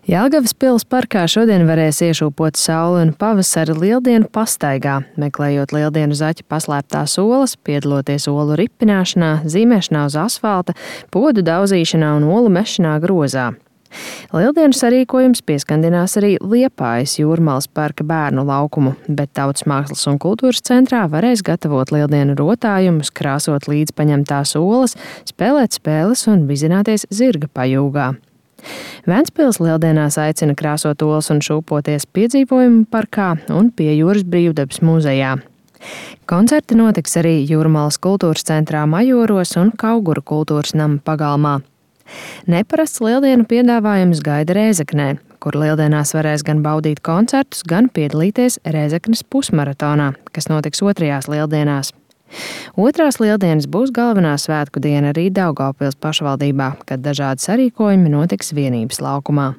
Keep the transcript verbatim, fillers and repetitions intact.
Jelgavas pils parkā šodien varēs iešūpot sauli un pavasara lieldienu pastaigā, meklējot lieldienu zaķa paslēptās olas, piedaloties olu ripināšanā, zīmēšanā uz asfalta, podu daudzīšanā un olu mešanā grozā. Lieldienu sarīkojums pieskandinās arī Liepājas Jūrmalas parka bērnu laukumu, bet Tautas mākslas un kultūras centrā varēs gatavot lieldienu rotājumus, krāsot līdzpaņemtās olas, spēlēt spēles un vizināties zirga pajūgā. Ventspils lieldienās aicina krāsot olas un šūpoties piedzīvojumu parkā un pie Jūras brīvdabas muzejā. Koncerti notiks arī Jūrmalas kultūras centrā Majoros un Kauguru kultūras nama pagalmā. Neparasts lieldienu piedāvājums gaida Rēzeknē, kur lieldienās varēs gan baudīt koncertus, gan piedalīties Rēzeknes pusmaratonā, kas notiks otrajās lieldienās. Otrās lieldienas būs galvenā svētku diena arī Daugavpils pašvaldībā, kad dažādi sarīkojumi notiks Vienības laukumā.